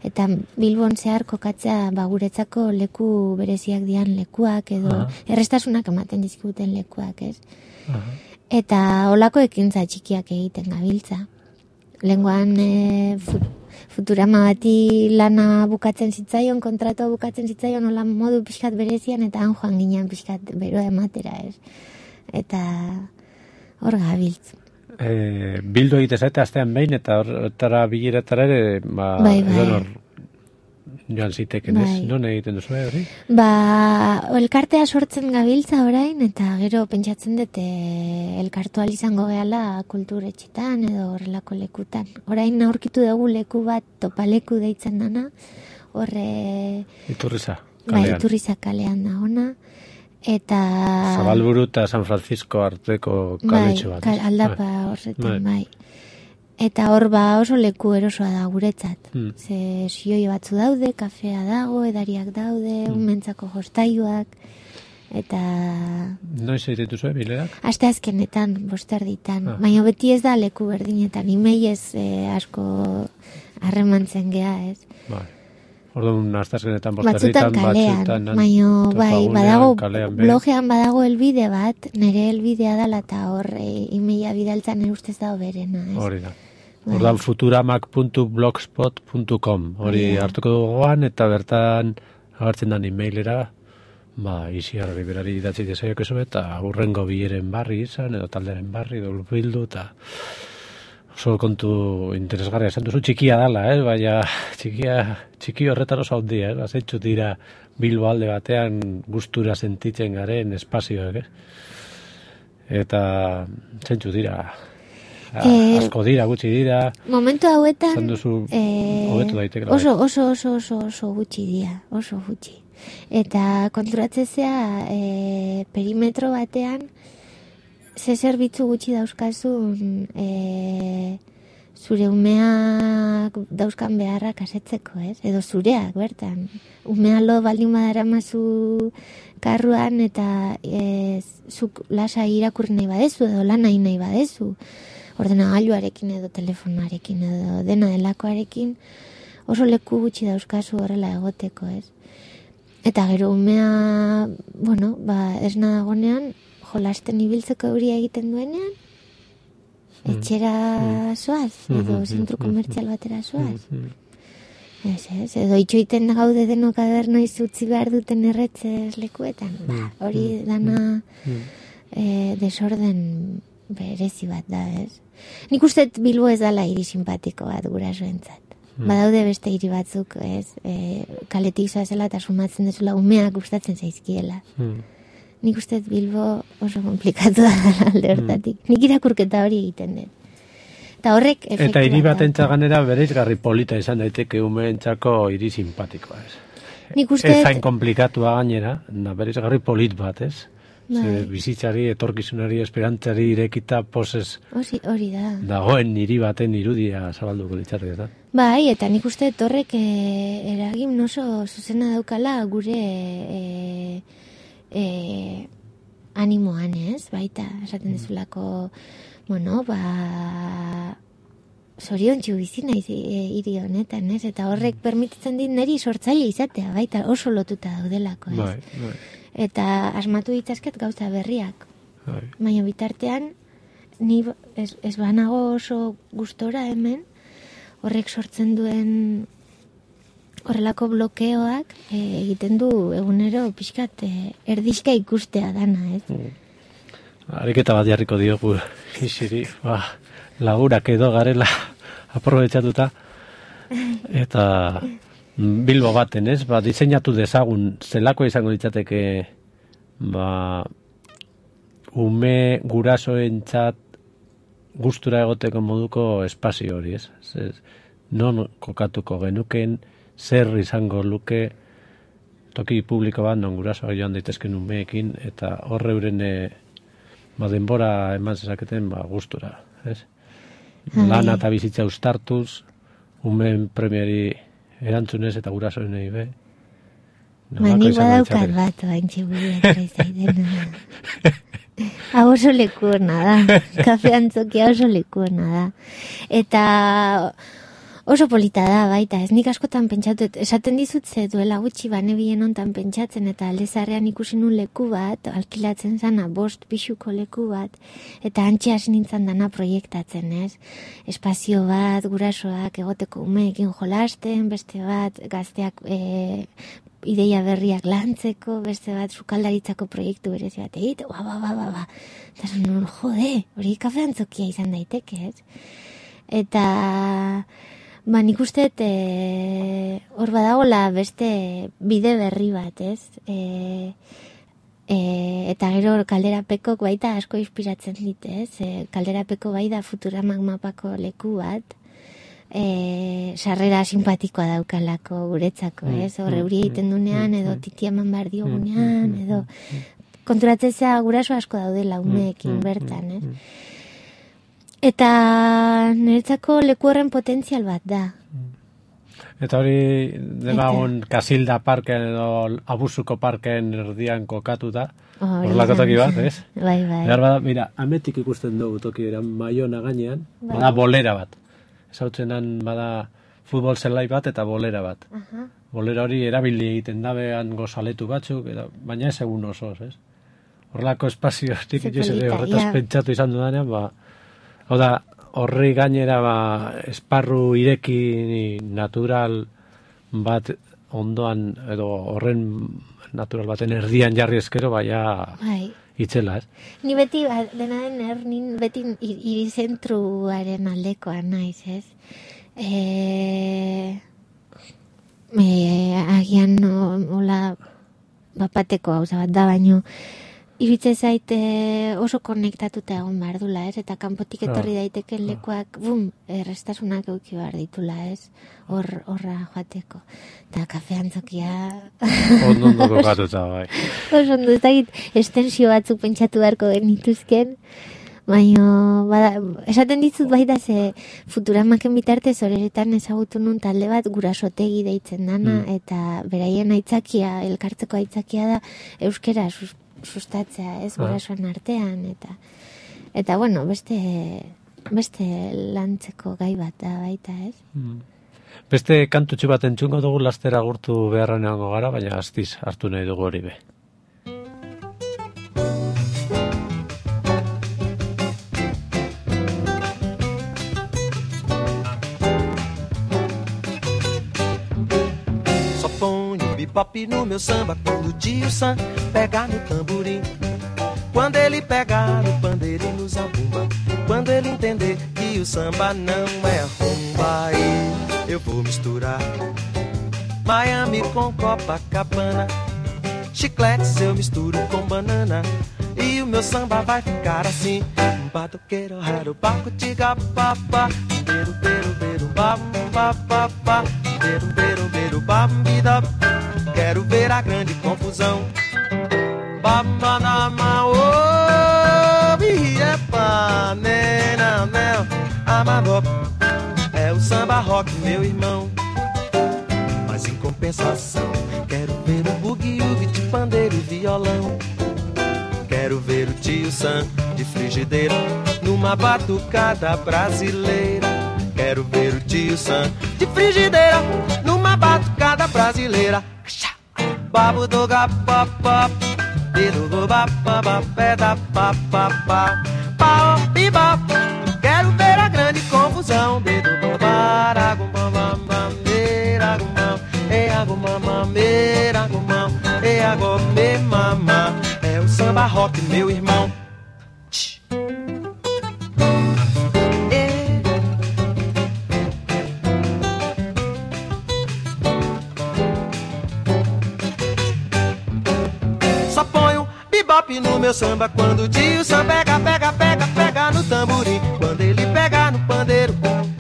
Eta Bilbon zehar kokatzea ba, guretzako leku bereziak dian lekuak edo uh-huh. errestasunak ematen dizkiguten lekuak, ez? Uh-huh. Eta holako ekintza txikiak egiten gabiltza. Lengoan e, fut, Futurama bati lana bukatzen zitzaion, kontratua bukatzen zitzaion, hola modu pixkat berezian, eta han joan ginen pixkat beroa ematera, ez? Eta hor gabiltz. E, bildu egite zaite astean behin, eta horretara bileretara ere, ba, bai, bai. Hor, joan ziteken ez, bai. Non egiten duzu, hori? Ba, elkartea sortzen gabiltza orain, eta gero pentsatzen dute elkartu izango gehala kulturetxetan edo horrelako lekutan. Orain aurkitu dugu leku bat topaleku deitzen dana, horre... Iturriza kalean. Bai, Iturriza kalean da ona. Eta... Zabalburu eta San Francisco arteko kaletxo bat. Bai, aldapa horretan, bai. Eta hor ba oso leku erosoa da guretzat. Hmm. Ze sioi batzu daude, kafea dago, edariak daude, hmm. umentzako jostailuak, eta... Noiz egiten duzu, bilerak? Aste azkenetan, bosterditan. Ah. Baina beti ez da leku berdinetan, imeiez eh, asko harremantzen gea, ez? Bai. Orduan, aste azkenetan, bosterditan, batzutan kalean. Baina, bai, badago, blogean badago elbide bat, nire elbidea dala eta hor e, imeia bidaltzan erustez dago berena, ez? Hori da. Ordan futuramak punto blogspot punto com hori yeah. hartuko duguan eta bertan agertzen dan emailera ba, Isiarri berari idatzi desaiok eso eta aurrengo bileren barri izan edo talderen barri edo bildu eta oso kontu interesgarria esan duzu txikia dala, eh? Baina txikia, txiki horretan oso handia, eh? Azentxu dira Bilbo alde batean gustura sentitzen garen espazioak, eh? Eta zentxu dira Eh, asko dira, gutxi dira. Momentu hauetan duzu, eh, oso, oso, oso, oso, oso gutxi dira, oso gutxi. Eta konturatzezea eh, perimetro batean ze zerbitzu gutxi dauzkazun eh, zure umeak dauzkan beharrak asetzeko, ez? Edo zureak, bertan. Umea lo baldin badara mazu karruan eta eh, zuk lasa irakurri nahi badezu edo lan nahi nahi badezu. Ordenagailuarekin edo telefonarekin edo dena delakoarekin oso leku gutxi dauzkazu horrela egoteko, ez? Eta gero umea, bueno, ba, esna dagonean, jolasten ibiltzeko euria egiten duenean, etxera zoaz, edo zentru komertzial batera zoaz. Ez, ez, edo itxoiten gaude denok aber noiz utzi behar duten erretzez lekuetan. Ba, hori dana e, desorden berezi bat da, ez? Nik uste Bilbo ez dala hiri simpatiko bat gurasoentzat. Hmm. Badaude beste hiri batzuk, ez? E, kaletik zoazela eta sumatzen dezula umeak gustatzen zaizkiela. Hmm. Nik uste Bilbo oso komplikatu da alde hortatik. Hmm. Nik irakurketa hori egiten dut. Eta horrek efektu eta hiri bat entzaganera bereizgarri polita izan daiteke umeentzako hiri simpatikoa, ez? Nik uste... Ez hain komplikatua gainera, da berizgarri polit bat, ez? Bai. Ze bizitzari, etorkizunari, esperantzari irekita posez Hori, hori da. dagoen hiri baten irudia zabalduko litzateke, eta? Bai, eta nik uste torrek e, eragin oso zuzena daukala gure e, e, animoan, ez? Baita, esaten dezulako, bueno, ba... zoriontsu bizi naiz e, hiri honetan, ez? Eta horrek permititzen dit niri sortzaile izatea, baita oso lotuta daudelako, ez? Bai, bai. Eta asmatu ditzazket gauza berriak. Bai. Baina bitartean, ni ez, ez banago oso gustora hemen, horrek sortzen duen horrelako blokeoak e, egiten du egunero pixkat e, erdizka ikustea dana, ez? Mm. Ariketa bat jarriko diogu isiri, ba, lagurak edo garela aprobetxatuta, eta Bilbo baten, ez? Ba, diseinatu dezagun, zelako izango ditzateke, ba, ume gurasoentzat gustura egoteko moduko espazio hori, ez? Ez, non kokatuko genuken, zer izango luke toki publiko bat, non gurasoak joan daitezken umeekin, eta horre euren e, ba, denbora eman zezaketen ba, gustura, ez? Lana eta bizitza ustartuz, umeen premiari erantzunez eta gurasoen nahi be. Ba, nik badaukat bat, oantxe buruak zaidena. Hau oso lekuona da. Kafe antzokia oso lekuona da. Eta oso polita da, baita. Ez nik askotan pentsatu, esaten dizut ze duela gutxi banebien ontan pentsatzen, eta aldezarrean ikusi nun leku bat, alkilatzen zana bost pixuko leku bat, eta antxe hasi nintzen dana proiektatzen, ez? Espazio bat, gurasoak egoteko umeekin jolasten, beste bat gazteak e, ideia berriak lantzeko, beste bat sukaldaritzako proiektu berezi bat egite, ba, ba, ba, ba, ba. Eta nun, jode, hori kafe antzokia izan daiteke, ez? Eta... Ba, nik usteet e, hor badagola beste bide berri bat, ez? E, e, eta gero kalderapekok baita asko inspiratzen dit, ez? E, kalderapeko bai da Futuramak mapako leku bat, e, sarrera simpatikoa daukalako guretzako, ez? Hor euri egiten dunean, edo titiaman bar diogunean, edo konturatzea guraso asko daudela umeekin bertan, ez? Eta niretzako leku horren potentzial bat da. Eta hori demagun Kasilda parken edo Abusuko parken erdian kokatu da. Horrelako toki bat, ez? Bai, bai. Behar bada, mira, ametik ikusten dugu toki eran Maiona gainean, bai. Bada bolera bat. Ezautzenan bada futbol zelai bat eta bolera bat. Uh-huh. Bolera hori erabili egiten dabean gozaletu batzuk, eta, baina ez egun osoz, ez? Horrelako espazio, nik ere horretaz pentsatu izan dudanean, ba, hau da, horri gainera ba, esparru ireki natural bat ondoan, edo horren natural baten erdian jarri eskero, baina bai. Itzela, ez? Ni beti, dena den ernin, beti hiri zentruaren aldekoa naiz, ez? E, e, agian hola bapateko hauza bat da, baino iritze zaite oso konektatuta egon behar dula, ez? Eta kanpotik etorri daiteken lekuak, bum, errestasunak euki behar ditula, ez? Hor, horra joateko. Eta kafe antzokia... Ondo ondo kokatuta, bai. Oso ondo, ez dakit, estensio batzuk pentsatu beharko genituzken, baina, bada, esaten dizut baita ze Futuramaken bitartez horretan ezagutu nun talde bat gurasotegi deitzen dana, mm. eta beraien aitzakia, elkartzeko aitzakia da, euskera sus, sustatzea, ez, gurasoan artean, eta, eta bueno, beste, beste lantzeko gai bat da baita, ez? Mm. Beste kantutxu bat entzungo dugu lastera gurtu beharren egongo gara, baina astiz hartu nahi dugu hori be. Bebop no meu samba quando o tio Sam pegar no tamborim. Quando ele pegar no pandeiro e no zabumba. Quando ele entender que o samba não é rumba, aí eu vou misturar Miami com Copacabana. Chicletes eu misturo com banana. E o meu samba vai ficar assim. Batuqueiro, raro, baco, tiga, papá. Beiro, beiro, beiro, bam, papá. Beiro, beiro, beiro, bam, bida. quero ver a grande confusão. Babanama, oh, biepa, nena, mel, amador. É o samba rock, meu irmão. Mas em compensação, quero ver o bugue-ugue de pandeiro e violão. Quero ver o tio Sam de frigideira numa batucada brasileira. Quero ver o tio Sam de frigideira numa batucada brasileira. Babu do gapapá, dedo do bapapá, peda papapá, pau piba. Quero ver a grande confusão. Dedo do baragumam, meiragumam, eagumam, meiragumam, eagome mamá. É o samba rock, meu irmão. No meu samba, quando o tio Sam pega, pega, pega, pega no tamborim, quando ele pega no pandeiro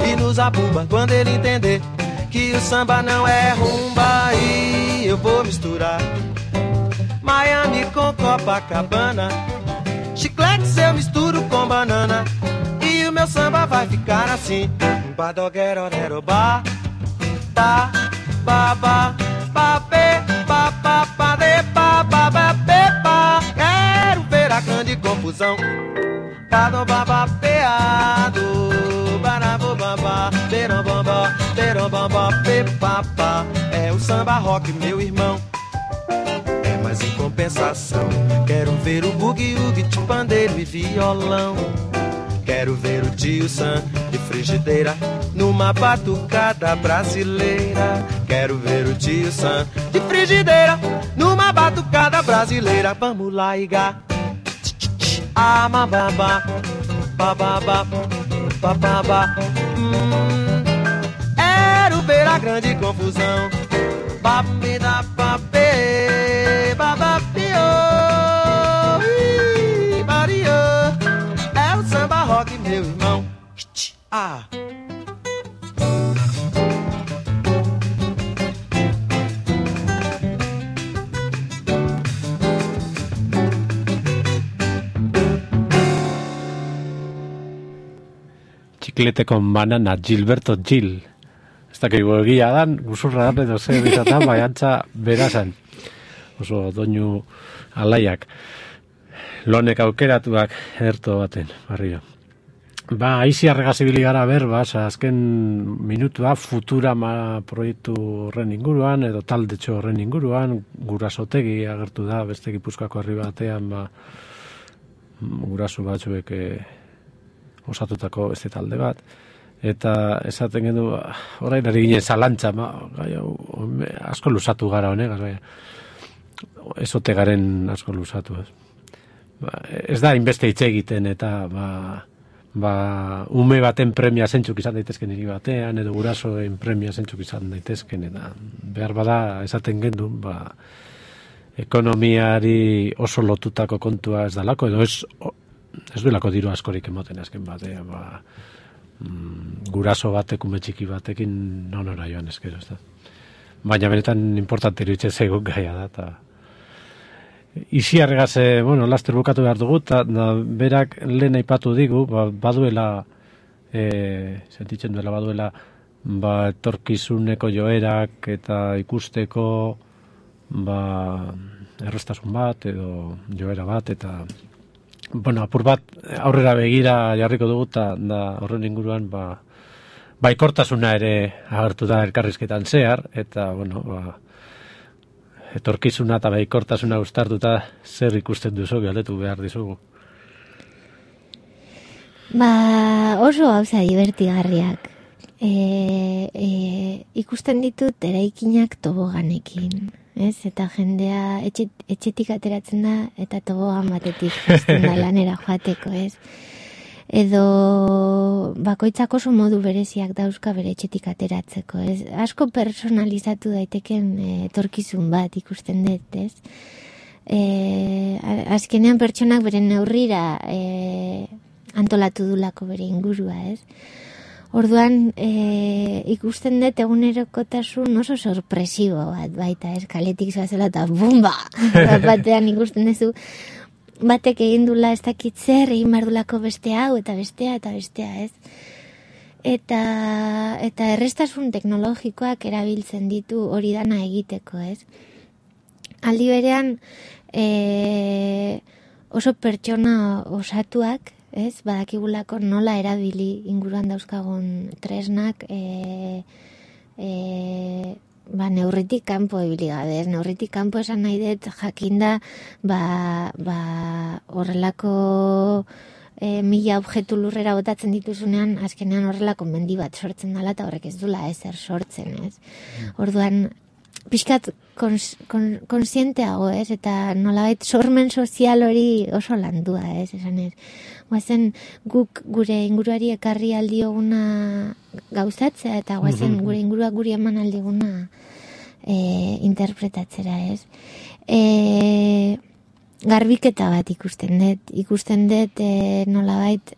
e nos abumba, quando ele entender que o samba não é rumba, aí eu vou misturar Miami com Copacabana, chicletes eu misturo com banana, e o meu samba vai ficar assim. Badoguerorero ba, ba, ba, ba, ba, be, ba, ba, ba, de, ba, ba, ba, be, ba. Quero ver a grande confusão. Bado, baba, peado, barabo, baba, berom, bamba, berom, bamba, pe, papa. É o samba rock, meu irmão. É, mas em compensação, quero ver o bugue-ugue de pandeiro e violão. Quero ver o tio Sam de frigideira numa batucada brasileira. Quero ver o tio Sam de frigideira numa batucada brasileira. Vamos lá, Iga. Ah, mababa, bababa, bababa. Hum, quero ver a grande confusão. Babida, babê, babapio, bario. É o samba rock, meu irmão. Ah. Chiclete con banana, Gilberto Gil. Ez dakigu egia dan, guzurra dan edo zer bizatan, baiantza berazan. Oso doinu alaiak. Lonek aukeratuak erto baten, barrio. Ba, aizi arregazibili gara ber, ba, azken minutua Futurama proiektu horren inguruan, edo taldetxo horren inguruan, Gurasotegi agertu da, beste Gipuzkoako herri batean, ba, guraso batzuek e, osatutako beste talde bat. Eta esaten gendu, orain ari ginen zalantza, ma, gai, asko lusatu gara honegaz, bai, ezote garen asko lusatu, ez. Ba, ez da inbeste hitz egiten, eta ba, ba, ume baten premia zentzuk izan daitezken hiri batean, edo gurasoen premia zentzuk izan daitezken, eta behar bada esaten gendu, ba, ekonomiari oso lotutako kontua ez dalako, edo ez, ez duelako diru askorik emoten azken batean, ba, mm, guraso batek, ume txiki batekin nonora joan eskero, ez da. Baina benetan importante iruditzen zaigu gaia da, eta Iziarregaz, bueno, laster bukatu behar dugu, eta berak lehen aipatu digu, ba, baduela, e, sentitzen duela baduela, ba, etorkizuneko joerak eta ikusteko, ba, errestasun bat, edo joera bat, eta, bueno, apur bat, aurrera begira jarriko dugu, eta da, horren inguruan, ba, baikortasuna ere agertu da elkarrizketan zehar, eta, bueno, ba, etorkizuna eta baikortasuna uztartuta zer ikusten duzu galdetu behar dizugu. Ba, oso gauza divertigarriak. E, e, ikusten ditut eraikinak toboganekin, ez? Eta jendea etxe, etxetik ateratzen da eta tobogan batetik jazten da lanera joateko, ez? Edo bakoitzak oso modu bereziak dauzka bere etxetik ateratzeko, ez? Asko personalizatu daiteken etorkizun bat ikusten dut, ez? E, azkenean pertsonak beren neurrira e, antolatu dulako bere ingurua, ez? Orduan, e, ikusten dut egunerokotasun oso sorpresibo bat, baita, ez, kaletik zoazela eta bumba! Batean ikusten duzu, batek egin dula ez dakit zer, egin bardulako beste hau, eta bestea, eta bestea, ez? Eta, eta errestasun teknologikoak erabiltzen ditu hori dana egiteko, ez? Aldi berean, e, oso pertsona osatuak, ez, badakigulako nola erabili inguruan dauzkagun tresnak e, e, ba, neurritik kanpo ibili gabe, ez, neurritik kanpo esan nahi dut jakinda ba, ba, horrelako e, mila objektu lurrera botatzen dituzunean, azkenean horrelako mendi bat sortzen dela eta horrek ez dula ezer sortzen, ez. Orduan, pixkat kons, kon, konsienteago, ez, eta nolabait sormen sozial hori oso landua, ez, esan ez. Guazen guk gure inguruari ekarri aldioguna gauzatzea, eta guazen gure inguruak guri eman aldiguna e, interpretatzera, ez. E, garbiketa bat ikusten dut, ikusten dut e, nolabait,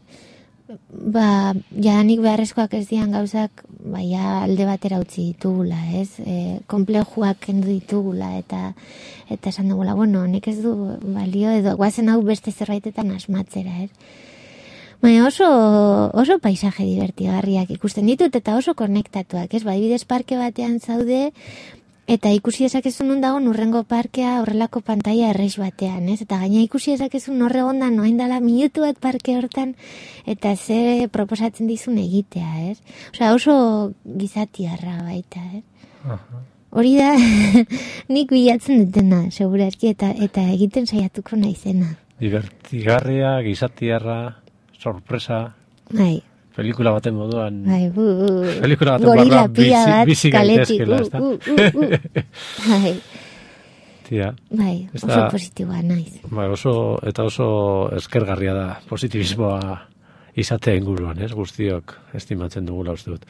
ba, jadanik beharrezkoak ez dian gauzak, baia alde batera utzi ditugula, ez? E, komplejuak kendu ditugula, eta eta esan dugula, bueno, nik ez du balio, edo guazen hau beste zerbaitetan asmatzera, ez? Baina oso, oso paisaje divertigarriak ikusten ditut, eta oso konektatuak, ez? Badibidez parke batean zaude, eta ikusi ezakezun non dago urrengo parkea horrelako pantaila errex batean, ez? Eta gaina ikusi ezakezun horre gondan noain dala minutu bat parke hortan, eta ze proposatzen dizun egitea, ez? Osea, oso gizatiarra baita, ez? Uh-huh. Hori da, nik bilatzen dutena, segurazki, eta, eta egiten saiatuko naizena. Divertigarria, gizatiarra, sorpresa... Bai. Pelikula baten moduan... Bai, bu, bu. Pelikula baten moduan bizi, bizi gaitezkela, ez da? Uh, uh, uh. Bai. Tia. Bai, oso da, positiboa naiz. Bai, oso, eta oso eskergarria da positibismoa izatea inguruan, ez? Guztiok estimatzen dugula uste dut.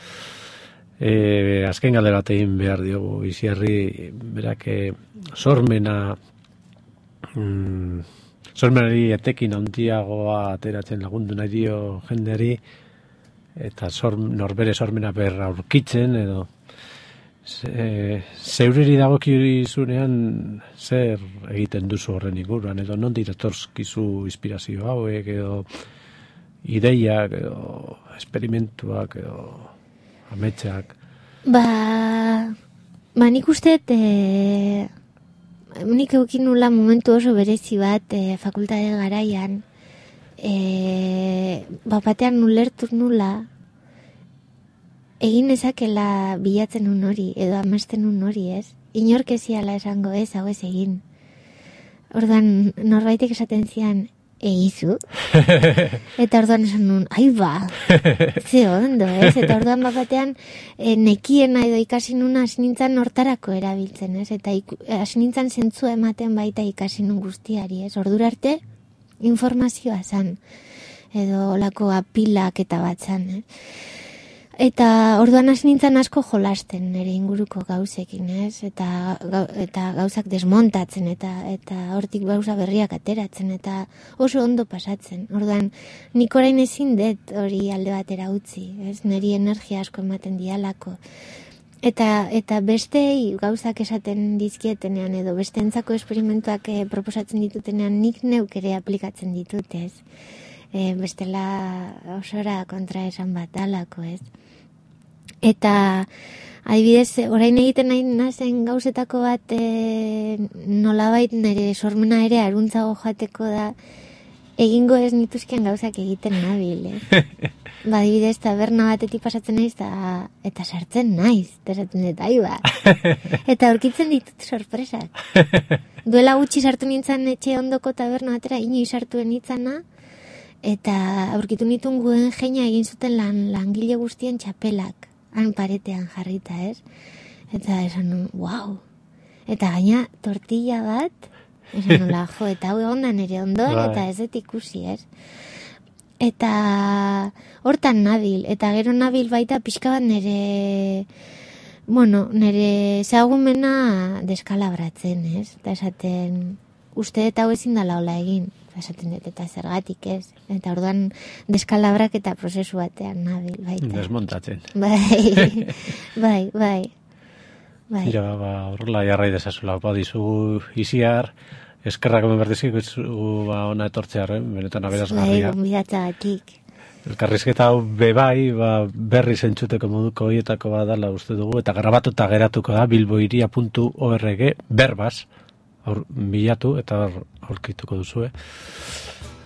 E, azken galdera bat egin behar diogu Iziarri, berak sormena... Mm, sormenari etekin handiagoa ateratzen lagundu nahi dio jendeari, eta sor, norbere sormena berra aurkitzen, edo ze, zeuriri dagokizunean zer egiten duzu horren inguruan, edo non diratorskizu inspirazio hauek, edo ideiak, edo esperimentuak, edo ametsak. Ba, ba nik uste, e, nik eukin nula momentu oso berezi bat e, fakultate garaian, E, bapatean nulertu nula egin ezakela bilatzen un hori edo amasten un hori, ez? Inork eziala esango ez, hau ez egin. Orduan norbaitek esaten zian egizu. Eta orduan esan nun, ai ba, ze ondo, ez? Eta orduan bapatean e, nekiena edo ikasi nuna hasi nintzen hortarako erabiltzen, ez? Eta hasi nintzen zentzua ematen baita ikasi nun guztiari, ez? Ordura arte informazioa zan, edo lako apilak eta bat zan, eh? Eta orduan hasi nintzen asko jolasten nire inguruko gauzekin, ez? Eta, eta gauzak desmontatzen, eta eta hortik gauza berriak ateratzen, eta oso ondo pasatzen. Orduan, nik orain ezin dut hori alde batera utzi, ez? Niri energia asko ematen dialako. Eta, eta bestei gauzak esaten dizkietenean edo besteentzako esperimentuak e, proposatzen ditutenean nik neuk ere aplikatzen ditut, ez? E, bestela osora kontra esan bat alako, ez? Eta adibidez, orain egiten nahi nazen gauzetako bat e, nolabait nire sormena ere aruntzago joateko da egingo ez nituzken gauzak egiten nabil, eh? Ba, adibidez, taberna batetik pasatzen naiz eta, eta sartzen naiz, eta esaten dut, ai ba. Eta aurkitzen ditut sorpresak. Duela gutxi sartu nintzen etxe ondoko taberna batera, inoiz sartuen nitzana, eta aurkitu nituen guen jeina egin zuten lan, langile guztien txapelak, han paretean jarrita, ez? Eta esan nun, wow. Eta gaina tortilla bat, esan nula, jo, eta hau egon da nire ondoan, eta ez dut ikusi, ez? Eta hortan nabil, eta gero nabil baita pixka bat nire, bueno, nire zagumena deskalabratzen, ez? Eta esaten, uste eta hau ezin dala hola egin, esaten dut, eta zergatik ez. Eta orduan deskalabrak eta prozesu batean nabil, baita. Desmontatzen. Bai, bai, bai. Bai. Mira, ba, horrela jarrai dezazula, ba, dizugu iziar, eskerrak hemen berdezik, ba, ona etortzearen, benetan aberazgarria. Bai, gonbidatagatik. Elkarrizketa hau bebai, ba, berri zentzuteko moduko horietako badala uste dugu, eta grabatuta geratuko da bilboiria puntu org berbaz, aur, bilatu eta aurkituko duzue.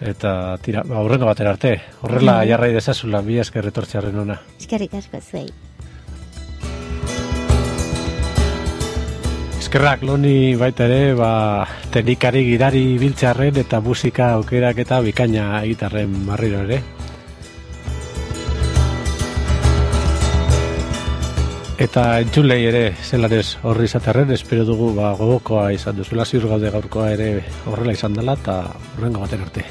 Eta tira, ba, aurrengo batera arte, horrela mm. jarrai dezazula, bi esker etortzearen ona. Eskerrik asko zuei. Eskerrak loni baita ere, ba, teknikari gidari biltzearren eta musika aukerak eta bikaina egitarren marriro ere. Eta entzulei ere zelanez horri izaterren, espero dugu ba, gogokoa izan duzuela, ziur gaude gaurkoa ere horrela izan dela, eta horrengo baten arte.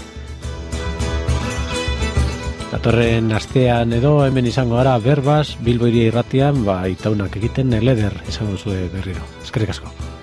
Datorren astean edo hemen izango gara berbaz, Bilbo Hiria Irratian, ba, itaunak egiten eleder izango zuen berriro. Eskerrik asko.